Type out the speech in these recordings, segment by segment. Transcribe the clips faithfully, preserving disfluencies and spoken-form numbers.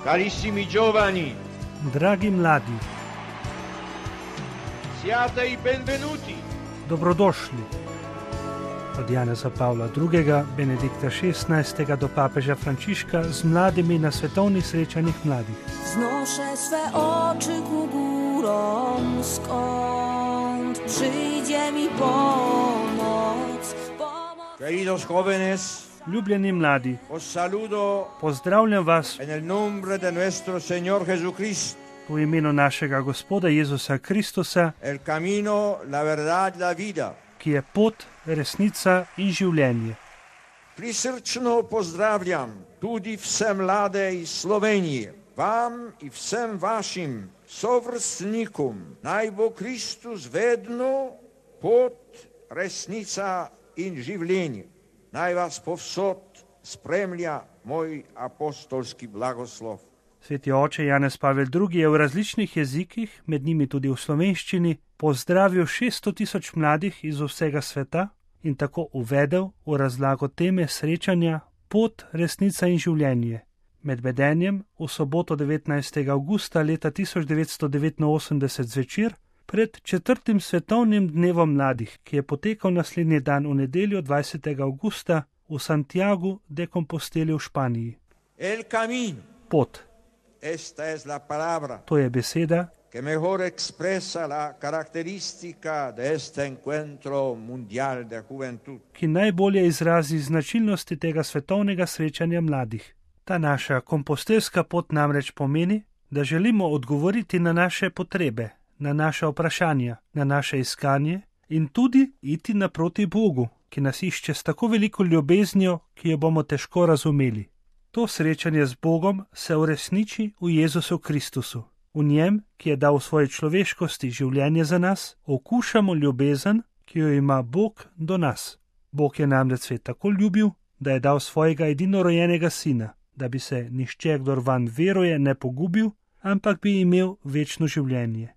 Carissimi giovani, Dragi mladi, siate i benvenuti. dobrodošli. Od Janeza Pavla drugega, Benedikta šestnajstega do papeža Frančiška z mladimi na svetovnih srečanjih mladih. Wznoszę swe oczy ku górom, skąd przyjdzie mi pomoc. Pomoc. Queridos jóvenes, Ljubljeni mladi, os saludo pozdravljam vas en el nombre de nuestro Señor Jesucristo, v imenu našega Gospoda Jezusa Kristusa, el camino, la verdad, la vida. ki je pot, resnica in življenje. Prisrčno pozdravljam tudi vse mlade iz Slovenije, vam in vsem vašim sovrstnikom. Naj bo Kristus vedno pot, resnica in življenje. Naj vas povsod spremlja moj apostolski blagoslov. Sveti oče Janez Pavel drugi je v različnih jezikih, med njimi tudi v slovenščini, pozdravil šeststo tisoč mladih iz vsega sveta in tako uvedel v razlago teme srečanja pot, resnica in življenje. Med vedenjem v soboto devetnajstega avgusta leta tisoč devetsto devetinosemdeset zvečer pred četrtim svetovnim dnevom mladih, ki je potekal naslednji dan v nedeljo dvajsetega avgusta v Santiagu de Composteli v Španiji. El camino, Pot, esta es la palabra to je beseda, que mejor expresa la característica de este encuentro mundial de juventud. ki najbolje izrazi značilnosti tega svetovnega srečanja mladih. Ta naša kompostelska pot namreč pomeni, da želimo odgovoriti na naše potrebe, na naše vprašanja, na naše iskanje in tudi iti naproti Bogu, ki nas išče s tako veliko ljubeznijo, ki jo bomo težko razumeli. To srečanje z Bogom se uresniči v Jezusu Kristusu. V njem, ki je dal v svoji človeškosti življenje za nas, okušamo ljubezen, ki jo ima Bog do nas. Bog je namreč svet tako ljubil, da je dal svojega edinorojenega sina, da bi se nihče, kdor vanj veruje, ne pogubil, ampak bi imel večno življenje.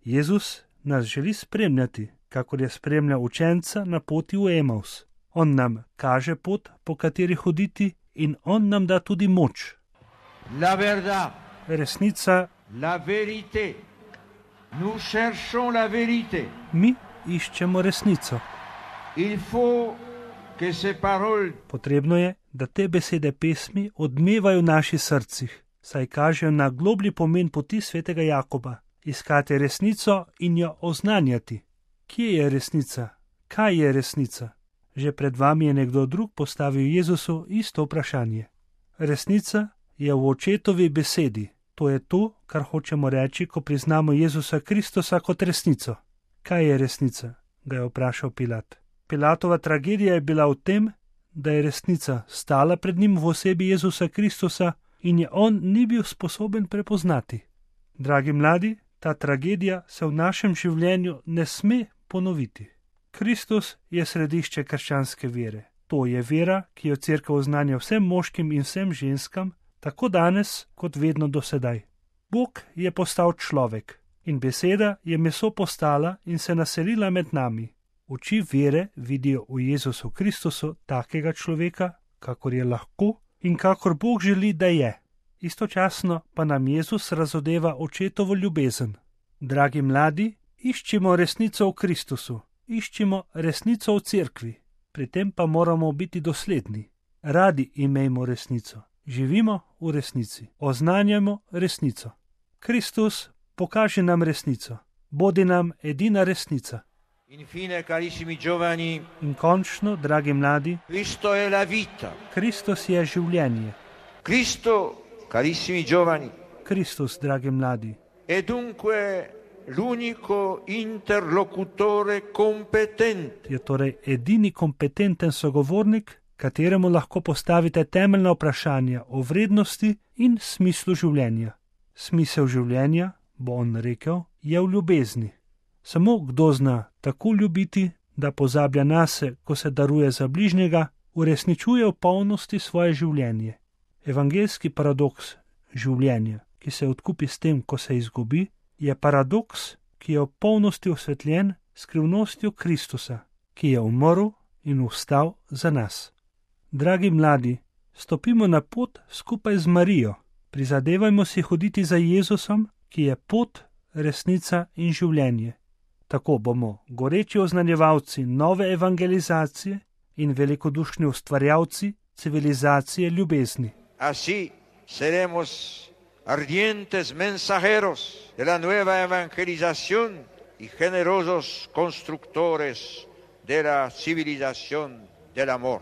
Jezus nas želi spremljati, kakor je spremljal učenca na poti v Emaus. On nam kaže pot, po kateri hoditi, in on nam da tudi moč. La verdad, Resnica, la vérité. Nous cherchons la vérité. mi iščemo resnico. Il faut que ces paroles Potrebno je, da te besede pesmi odmevajo v naših srcih, saj kažejo na globlji pomen poti svetega Jakoba, iskati resnico in jo oznanjati. Kje je resnica? Kaj je resnica? Že pred vami je nekdo drug postavil Jezusu isto vprašanje. Resnica je v očetovi besedi. To je to, kar hočemo reči, ko priznamo Jezusa Kristusa kot resnico. Kaj je resnica? Ga je vprašal Pilat. Pilatova tragedija je bila v tem, da je resnica stala pred njim v osebi Jezusa Kristusa in je on ni bil sposoben prepoznati. Dragi mladi, ta tragedija se v našem življenju ne sme ponoviti. Kristus je središče krščanske vere. To je vera, ki jo Cerkev oznanja vsem moškim in vsem ženskam, tako danes kot vedno do sedaj. Bog je postal človek in beseda je meso postala in se naselila med nami. Oči vere vidijo v Jezusu Kristusu takega človeka, kakor je lahko in kakor Bog želi, da je. Istočasno pa nam Jezus razodeva očetovo ljubezen. Dragi mladi, iščimo resnico v Kristusu, iščimo resnico v cerkvi, pri tem pa moramo biti dosledni. Radi imejmo resnico, živimo v resnici, oznanjamo resnico. Kristus, pokaži nam resnico, bodi nam edina resnica. Infine, carissimi giovani, In končno, dragi mladi, Cristo è la vita. Kristus je življenje. Cristo, carissimi giovani, Kristus, dragi mladi, è dunque l'unico interlocutore competente. je torej edini kompetenten sogovornik, kateremu lahko postavite temeljna vprašanja o vrednosti in smislu življenja. Smisel življenja, bo on rekel, je v ljubezni. Samo kdo zna tako ljubiti, da pozablja nase, ko se daruje za bližnjega, uresničuje v polnosti svoje življenje. Evangeljski paradoks življenja, ki se odkupi s tem, ko se izgubi, je paradoks, ki je v polnosti osvetljen s skrivnostjo Kristusa, ki je umrl in vstal za nas. Dragi mladi, stopimo na pot skupaj z Marijo, Prizadevajmo si hoditi za Jezusom, ki je pot, resnica in življenje. Tako bomo goreči oznanjevalci nove evangelizacije in velikodušni ustvarjalci civilizacije ljubezni. Así seremos ardientes mensajeros de la nueva evangelización y generosos constructores de la civilización del amor.